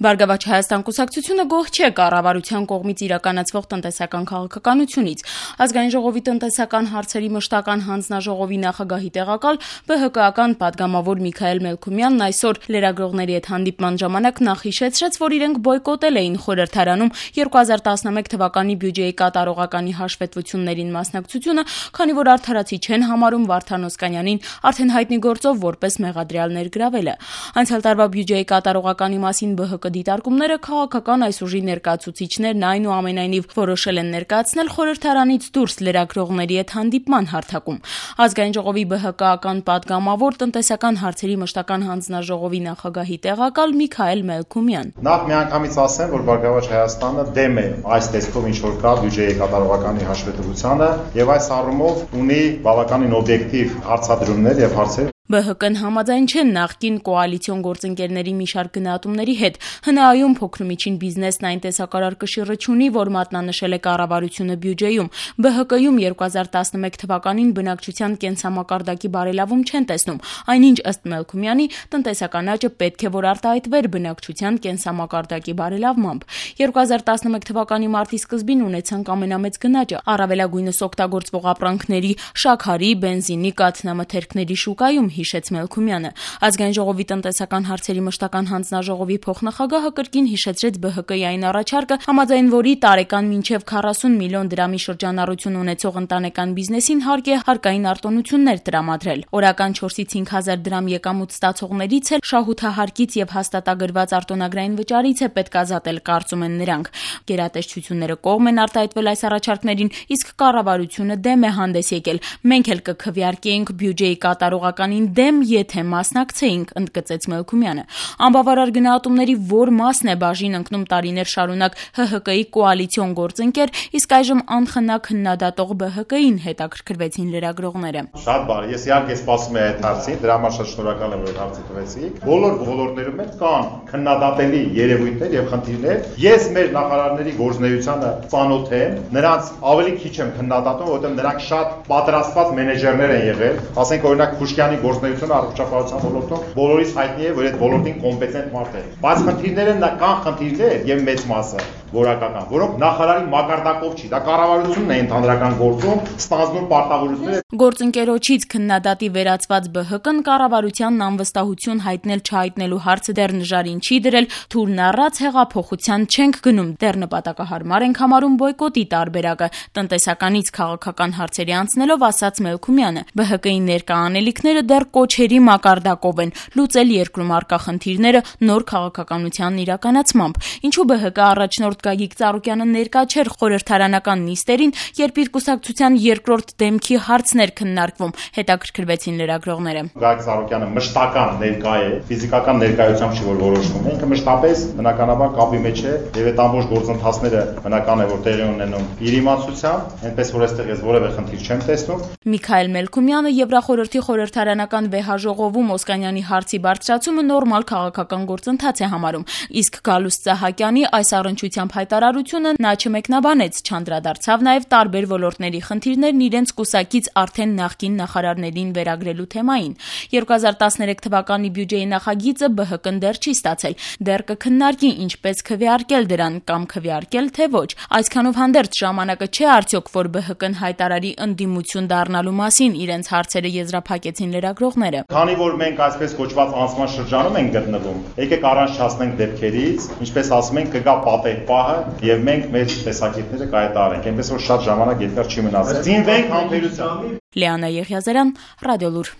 Բարգավաճ Հայաստան կուսակցությունը գոհ չէ կառավարության կողմից իրականացվող տնտեսական քաղաքականությունից։ Ազգային ժողովի տնտեսական հարցերի մշտական հանձնաժողովի նախագահի տեղակալ ԲՀԿ-ական պատգամավոր Միքայել Մելքումյանն այսօր լրագրողների հետ հանդիպման ժամանակ նախ հիշեցրեց, որ իրենք բոյկոտել էին խորհրդարանում 2011 թվականի բյուջեի կատարողականի հաշվետվություններին մասնակցությունը, քանի որ արդարացի չեն համարում Վարդան Օսկանյանին արդեն հայտնի գործով որպես մեղադրյալ ներգրավելը։ Անցյալ տարվա բյուջեի կատարողականի մասին ԲՀԿ դիտարկումները քաղաքական այս ուժի ներկայացուցիչներն այնուամենայնիվ որոշել են ներկայացնել խորհրդարանից դուրս լրագրողների հետ հանդիպման հարթակում։ Ազգային ժողովի ԲՀԿ-ական պատգամավոր տնտեսական հարցերի մշտական հանձնաժողովի նախագահի տեղակալ Միքայել Մելքումյան։ Նախ միանգամից ասեմ, որ Բարգավաճ Հայաստանը դեմ է այս տեսքով ինչ որ կա բյուջեի կատարողականի հաշվետվությանը եւ այս առումով ունի բավականին օբյեկտիվ հարցադրումներ եւ հարցեր։ ԲՀԿ-ն համաձայն չեն նախկին կոալիցիոն գործընկերների մի շարք գնահատումների հետ։ ՀՆԱ-ում փոքրումիջին բիզնեսն այն տեսակարար կշիռը չունի, որ մատնանշել է կառավարությունը բյուջեում։ ԲՀԿ-ում 2011 թվականին բնակչության կենսամակարդակի բարելավում չեն տեսնում, այնինչ ըստ Մելքումյանի տնտեսական աճը պետք է որ արտահայտվեր բնակչության կենսամակարդակի բարելավմամբ։ 2011 թվականի մարտի սկզբին ունեցանք ամենամեծ գնաճը, առավելագույնս օգտագործվող ապրանքների, շաքարի, բենզինի, կաթնամթերքների շուկայում, հիշեց Մելքումյանը։ Ազգային ժողովի տնտեսական հարցերի մշտական հանձնաժողովի փոխնախագահը կրկին հիշեցրեց ԲՀԿ-ի այն առաջարկը, համաձայն որի տարեկան մինչև 40 միլիոն դրամի շրջանառություն ունեցող ընտանեկան բիզնեսին հարկ է հարկային արտոնություններ տրամադրել։ Օրական 4-ից 5000 դրամ եկամուտ ստացողներից էլ շահութահարկից եւ հաստատագրված արտոնագրային վճարից է պետք ազատել, կարծում են նրանք։ Գերատեսչությունները կողմ են արտահայտվել այս առաջարկներին, իսկ կառավարությունը դեմ է հանդես եկել։ Մենք էլ կքվեարկեինք բյուջեի կատարողականին դեմ, եթե մասնակցեինք, ընդգծեց Մելքումյանը։ Անբավարար գնահատումների որ մասն է բաժին ընկնում տարիներ շարունակ ՀՀԿ-ի կոալիցիոն գործընկեր, իսկ այժմ անխնա քննադատող ԲՀԿ-ին, հետաքրքրվեցին լրագրողները։ Շատ բարի, ես իհարկե սպասում եմ այդ հարցին, դրա համար շատ շնորհակալ եմ, որ հարցը տվեցիք։ Բոլոր ոլորտներում կան քննադատելի երևույթներ եւ խնդիրներ։ Ես մեր նախարարների գործունեությանը ծանոթ եմ, նրանց ավելի քիչ եմ քննադատում, որովհետեւ նրանք շատ պատրաստված մենեջերներ են եղել։ Ասենք օրինակ Փուշկյանի գործունեությունը առողջապահության ոլորտում բոլորիս հայտնի է, որ այդ ոլորտին կոմպետենտ մարդ է։ Բայց խնդիրները կան խնդիրներ եւ մեծ մասը որակական, որոնք նախարարի մակարդակով չի, դա կառավարությունն է ընդհանրական գործում, ստանձնում պարտավորությունները։ Գործընկերոջից քննադատի վերացված ԲՀԿ-ն կառավարությանն անվստահություն հայտնել-չհայտնելու հարցը դեռ նժարին չի դրել, թուրն առած հեղափոխության չենք գնում, դեռ նպատակահարմար ենք համարում բոյկոտի տարբերակը, տնտեսականից քաղաքական հարցերի անցնելով ասաց Մելքումյանը։ ԲՀԿ-ի ներկա անելիքները դեռ կոչերի մակարդակով են, լուծել երկրում առկա խնդիրները նոր քաղաքականության իրականացմամբ։ Ինչու ԲՀԿ առաջնորդ Գագիկ Ծառուկյանը ներկա չէր խորհրդարանական նիստերին, երբ իր կուսակցության երկրորդ դեմքի հարցն էր քննարկվում, հետաքրքրվեցին լրագրողները։ Գագիկ Ծառուկյանը մշտական ներկա է, ֆիզիկական ներկայությամբ չի որ որոշվում, ինքը մշտապես բնականաբար կապի մեջ է եւ այդ ամբողջ գործընթացները բնական է որ տեղի ունենում իր իմացությամբ, այնպես որ այստեղ ես որևէ խնդիր չեմ տեսնում։ Միքայել Մելքումյանը Եվրախորհրդի խորհրդարանական վեհաժողովում Օսկանյանի հարցի բարձրացումը նորմալ քաղաքական գործընթաց է համարում, իսկ Գալուստ Սահակյանի այս առնչությամբ հայտարարությունը նա չմեկնաբանեց, չանդրադարձավ նաև տարբեր ոլորտների խնդիրներն իրենց կուսակից արդեն նախկին նախարարներին վերագրելու թեմային։ 2013 թվականի բյուջեի նախագիծը ԲՀԿ-ն դեռ չի ստացել, դեռ կքննարկի ինչպես քվեարկել դրան կամ քվեարկել թե ոչ։ Այսքանով հանդերձ ժամանակը չէ արդյոք, որ ԲՀԿ-ն հայտարարի ընդդիմություն դառնալու մասին, իրենց հարցերը եզրափակեցին լրագրողները։ Քանի որ մենք այսպես կոչված անցման շրջանում ենք գտնվում, եկեք առանց դեպքերից, ինչպես ասում ենք, կգա պատեհ պահը եւ մենք մեր տեսակետները կայտարենք, այնպես որ շատ ժամանակ երկար չի մնացել։ Ծինվենք համբերությամբ։ Լիանա Եղիազարյան, Ռադիոլուր։